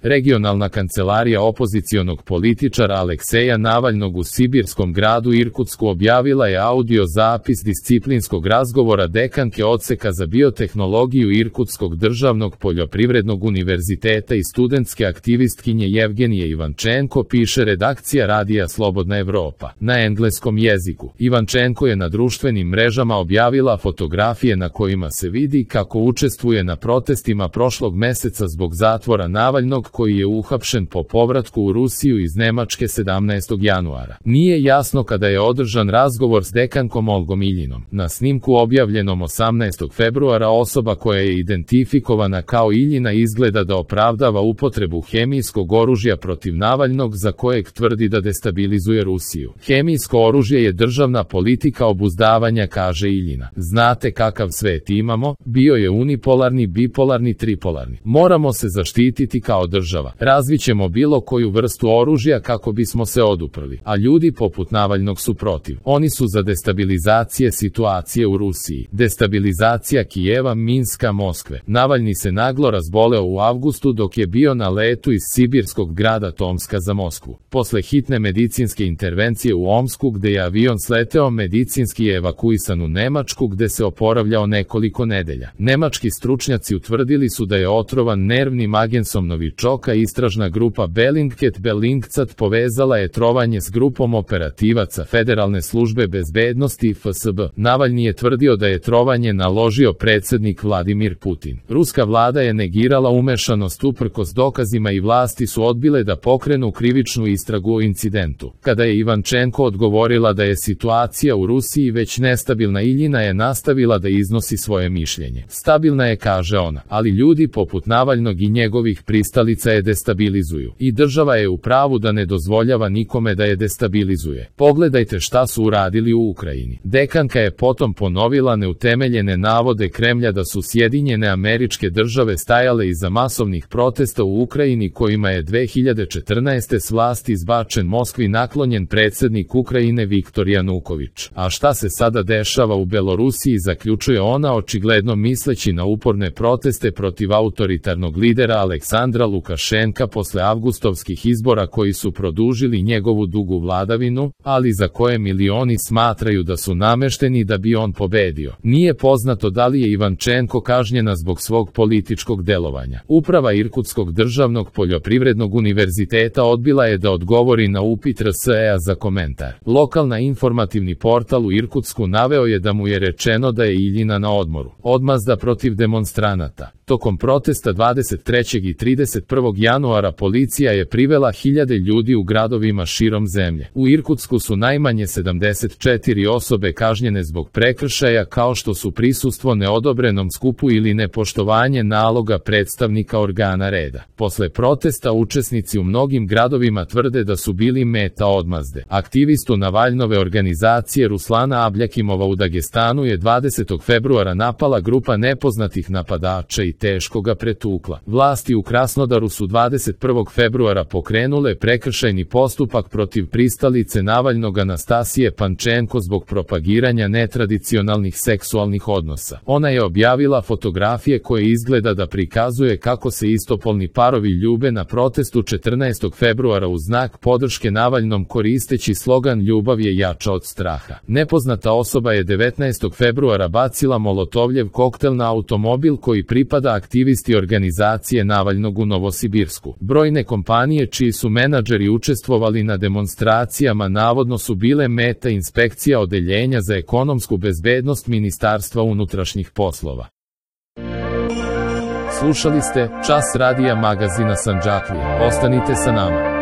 Regionalna kancelarija opozicionog političara Alekseja Navalnog u sibirskom gradu Irkutsku objavila je audio zapis disciplinskog razgovora dekanke odseka za biotehnologiju Irkutskog državnog poljoprivrednog univerziteta i studentske aktivistkinje Jevgenije Ivančenko, piše redakcija radija Slobodna Evropa. Na engleskom jeziku Ivančenko je na društvenim mrežama objavila fotografije na kojima se vidi kako učestvuje na protestima prošlog meseca zbog zatvora Navalnog, koji je uhapšen po povratku u Rusiju iz Nemačke 17. januara. Nije jasno kada je održan razgovor s dekankom Olgom Iljinom. Na snimku objavljenom 18. februara osoba koja je identifikovana kao Iljina izgleda da opravdava upotrebu hemijskog oružja protiv Navalnog, za kojeg tvrdi da destabilizuje Rusiju. Hemijsko oružje je državna politika obuzdavanja, kaže Iljina. Znate kakav svet imamo, bio je unipolarni, bipolarni, tripolarni. Moramo se zaštititi kao država. Razvićemo bilo koju vrstu oružja kako bismo se oduprli, a ljudi poput Navalnog su protiv. Oni su za destabilizacije situacije u Rusiji. Destabilizacija Kijeva, Minska, Moskve. Navalni se naglo razboleo u avgustu dok je bio na letu iz sibirskog grada Tomska za Moskvu. Posle hitne medicinske intervencije u Omsku, gde je avion sleteo, medicinski je evakuisan u Nemačku, gde se oporavljao nekoliko nedelja. Nemački stručnjaci utvrdili su da je otrovan nervnim agensom novičoka. Istražna grupa Bellingcat povezala je trovanje s grupom operativaca Federalne službe bezbednosti FSB. Navalni je tvrdio da je trovanje naložio predsjednik Vladimir Putin. Ruska vlada je negirala umešanost uprkos dokazima i vlasti su odbile da pokrenu krivičnu istragu o incidentu. Kada je Ivančenko odgovorila da je situacija u Rusiji već nestabilna, Iljina je nastavila da iznosi svoje mišljenje. Stabilna je, kaže ona, ali ljudi poput Navalnog i njegovih pristalica je destabilizuju. I država je u pravu da ne dozvoljava nikome da je destabilizuje. Pogledajte šta su uradili u Ukrajini. Dekanka je potom ponovila neutemeljene navode Kremlja da su Sjedinjene Američke Države stajale iza masovnih protesta u Ukrajini kojima je 2014. s vlasti izbačen Moskvi naklonjen predsjednik Ukrajine Viktor Januković. A šta se sada dešava u Belorusiji, zaključuje ona, očigledno misleći na uporne proteste protiv autoritarnog lidera Aleksandra Lukašenka posle avgustovskih izbora koji su produžili njegovu dugu vladavinu, ali za koje milioni smatraju da su namešteni da bi on pobedio. Nije poznato da li je Ivančenko kažnjena zbog svog političkog delovanja. Uprava Irkutskog državnog poljoprivrednog univerziteta odbila je da odgovori na upit RSE-a za komentar. Lokalna informativni portal u Irkutsku naveo je da mu je rečeno da je Iljina na odmoru. Odmazda protiv demonstranata. Tokom protesta 23. i 31. januara policija je privela hiljade ljudi u gradovima širom zemlje. U Irkutsku su najmanje 74 osobe kažnjene zbog prekršaja, kao što su prisustvo neodobrenom skupu ili nepoštovanje naloga predstavnika organa reda. Posle protesta učesnici u mnogim gradovima tvrde da su bili meta odmazde. Aktivistu Navalnove organizacije Ruslana Abljakimova u Dagestanu je 20. februara napala grupa nepoznatih napadača i teško ga pretukla. Vlasti u Krasnodaru su 21. februara pokrenule prekršajni postupak protiv pristalice Navalnog Anastasije Pančenko zbog propagiranja netradicionalnih seksualnih odnosa. Ona je objavila fotografije koje izgleda da prikazuje kako se istopolni parovi ljube na protestu 14. februara u znak podrške Navalnom koristeći slogan "Ljubav je jača od straha". Nepoznata osoba je 19. februara bacila molotovljev koktel na automobil koji pripada aktivisti organizacije Navalnog u Novosibirsku. Brojne kompanije čiji su menadžeri učestvovali na demonstracijama navodno su bile meta inspekcija Odeljenja za ekonomsku bezbednost Ministarstva unutrašnjih poslova. Slušali ste Čas radija magazina Sandžaklija. Ostanite sa nama.